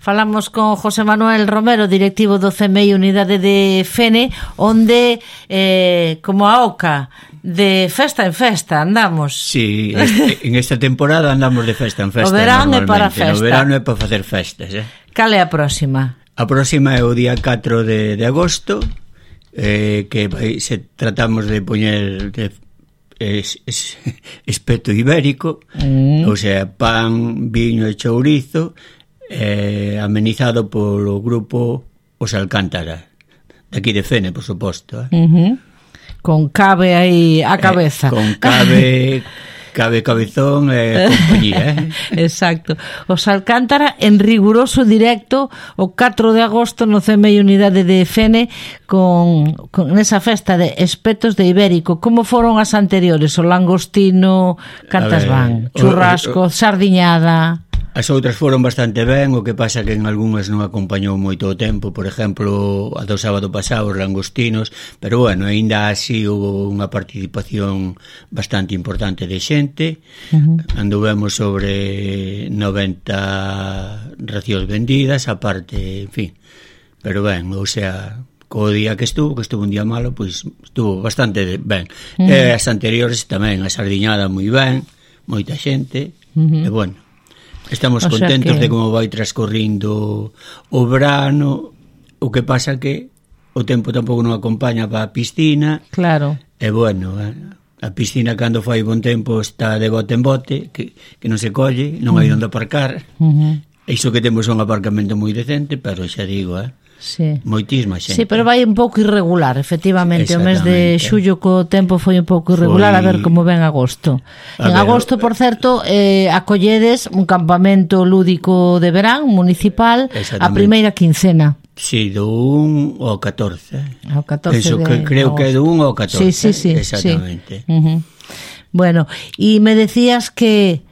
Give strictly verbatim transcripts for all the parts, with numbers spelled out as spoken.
falamos con José Manuel Romero, directivo do C M I Unidade de Fene, onde, eh, como a oca, de festa en festa andamos. Sí, este, en esta temporada andamos de festa en festa. O verán é para festa. O verán é para facer festas, eh? Cal é a próxima? A próxima é o día catro de, de agosto, eh, que vai, se tratamos de poñer de, es, es, espeto ibérico, mm. o sea, pan, viño e chourizo, eh, amenizado polo grupo Os Alcántara, de aquí de Fene, por suposto, eh? Uh-huh. Con cabe aí a cabeza. Eh, con cabe, cabe cabezón e eh, compañía, eh? Exacto. Os Alcántara en riguroso directo o catro de agosto no C M I Unidade de Fene con, con esa festa de espetos de ibérico. Como foron as anteriores? O langostino, cantas ver, van? Churrasco, o, o, sardiñada... As outras foron bastante ben, o que pasa que en algunhas non acompañou moito o tempo, por exemplo, a do sábado pasado os langostinos, pero bueno, aínda así houve unha participación bastante importante de xente, uh-huh. anduvemos sobre noventa racións vendidas, aparte, en fin, pero ben, ou sea, co día que estuvo, que estuvo un día malo, pois estuvo bastante ben. Uh-huh. E as anteriores tamén, a sardiñada moi ben, moita xente, uh-huh. e bueno, estamos o contentos que... de como vai transcorrindo o verano. O que pasa que o tempo tampouco non acompaña para a piscina. Claro. E bueno, a piscina cando fai bon tempo está de bote en bote, que, que non se colle, non hai onde aparcar. Uh-huh. Iso que temos un aparcamento moi decente, pero xa digo, eh, sí. moitísima xente. Sí, pero vai un pouco irregular, efectivamente. O mes de xullo co tempo foi un pouco irregular, foi... a ver como ven agosto. A en ver, agosto, por certo, eh, acolledes un campamento lúdico de verán municipal a primeira quincena. Sí, do un ao catorce. Ao catorce Eso de que creo agosto. Que é do un ao catorce. Sí, sí, sí. Exactamente. Sí. Uh-huh. Bueno, e me decías que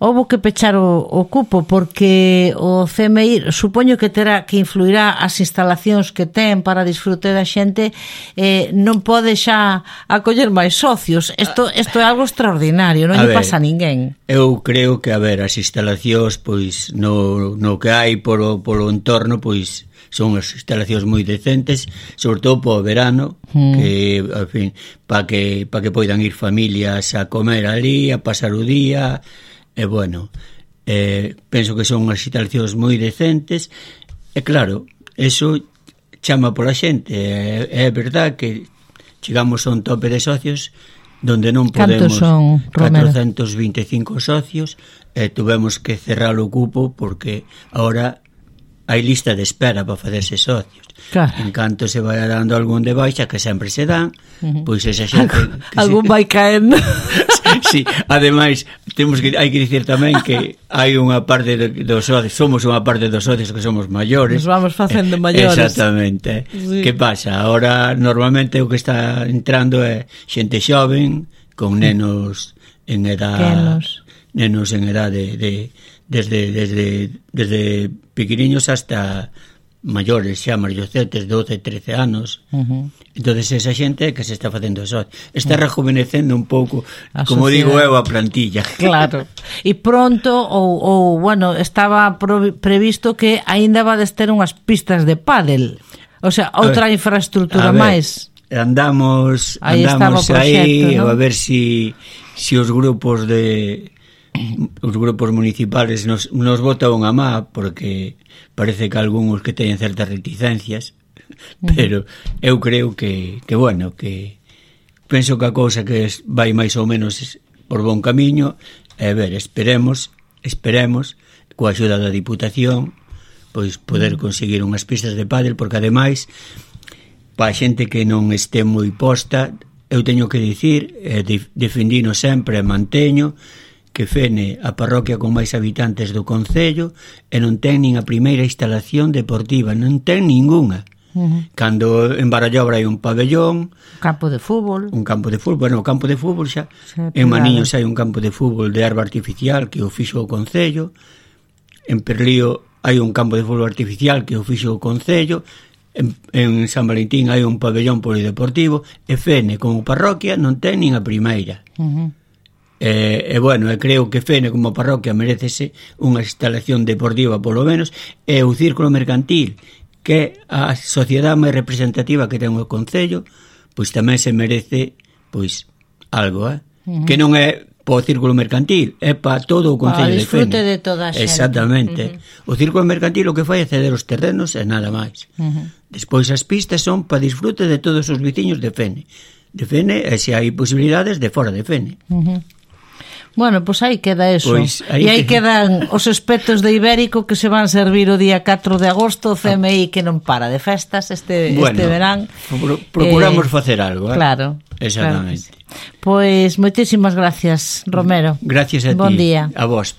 houbo que pechar o, o cupo porque o C M I supoño que terá que influirá as instalacións que ten para disfrute da xente, eh, non pode xa acoller máis socios. Isto isto é algo extraordinario, non lle pasa a ninguén. Eu creo que, a ver, as instalacións pois no, no que hai polo, polo entorno, pois son as instalacións moi decentes, sobre todo para o verano, mm. que, en fin, para que, pa que poidan ir familias a comer ali, a pasar o día. E bueno, eh, penso que son unhas instalacións moi decentes e claro, eso chama pola xente. É, é verdad que chegamos a un tope de socios donde non podemos son, catrocentos vinte e cinco socios e tuvemos que cerrar o cupo porque ahora hai lista de espera para facerse socios. Claro. En canto se vai dando algún de baixa, que sempre se dan, uh-huh. pois esa xente... algún se... vai caendo. Sí, ademais, temos que hai que dicir tamén que hai unha parte dos socios, somos unha parte dos socios que somos maiores. Nos vamos facendo maiores. Exactamente. Sí. Que pasa? Ahora, normalmente, o que está entrando é xente xoven, con nenos en edad... Nenos. Nenos en edad de... de desde, desde, desde pequeniños hasta maiores, xa mayorcetes, doce, trece anos. Uh-huh. Entonces esa xente que se está facendo eso está uh-huh. rejuvenecendo un pouco, a como sociedade. Digo eu, a plantilla. Claro. E pronto ou, ou bueno, estaba pro, previsto que aínda vades ter unhas pistas de pádel. O sea, outra ver, infraestructura máis. Andamos aí andamos aí, ¿no? A ver si si os grupos de os grupos municipales nos, nos botan a má, porque parece que algúns que teñen certas reticencias, pero eu creo que, que bueno, que penso que a cousa que es, vai máis ou menos por bon camiño, e ver, esperemos esperemos, coa axuda da Diputación, pois poder conseguir unhas pistas de pádel, porque ademais para a xente que non este moi posta, eu teño que dicir, eh, defendino sempre e manteño que Fene a parroquia con máis habitantes do concello e non ten nin a primeira instalación deportiva, non ten ningunha. Uh-huh. Cando en Barallobra hai un pabellón, un campo de fútbol, un campo de fútbol, bueno, o campo de fútbol xa, en Maniños hai un campo de fútbol de herba artificial que o fixo o concello, en Perlío hai un campo de fútbol artificial que o fixo o concello, en, en San Valentín hai un pabellón polideportivo, e Fene como parroquia non ten nin a primeira. Uh-huh. E, e bueno, e creo que Fene como parroquia merecese unha instalación deportiva polo menos, e o Círculo Mercantil, que é a sociedade máis representativa que ten o Concello, pois tamén se merece pois algo, eh? Uh-huh. Que non é para o Círculo Mercantil, é para todo o Concello de Fene. Para disfrute de toda a xente. Exactamente. Uh-huh. O Círculo Mercantil o que fai é ceder os terrenos e nada máis. Uh-huh. Despois as pistas son para disfrute de todos os veciños de Fene. De Fene, e se hai posibilidades de fora de Fene. Uh-huh. Bueno, pois pues aí queda eso. Pues aí e aí que... quedan os espetos de Ibérico que se van servir o día catro de agosto, o C M I que non para de festas este, bueno, este verán. Pro, procuramos eh, facer algo, eh? Claro. Exactamente. Claro. Pois pues, moitísimas gracias, Romero. Gracias a ti. Bon día. A vos.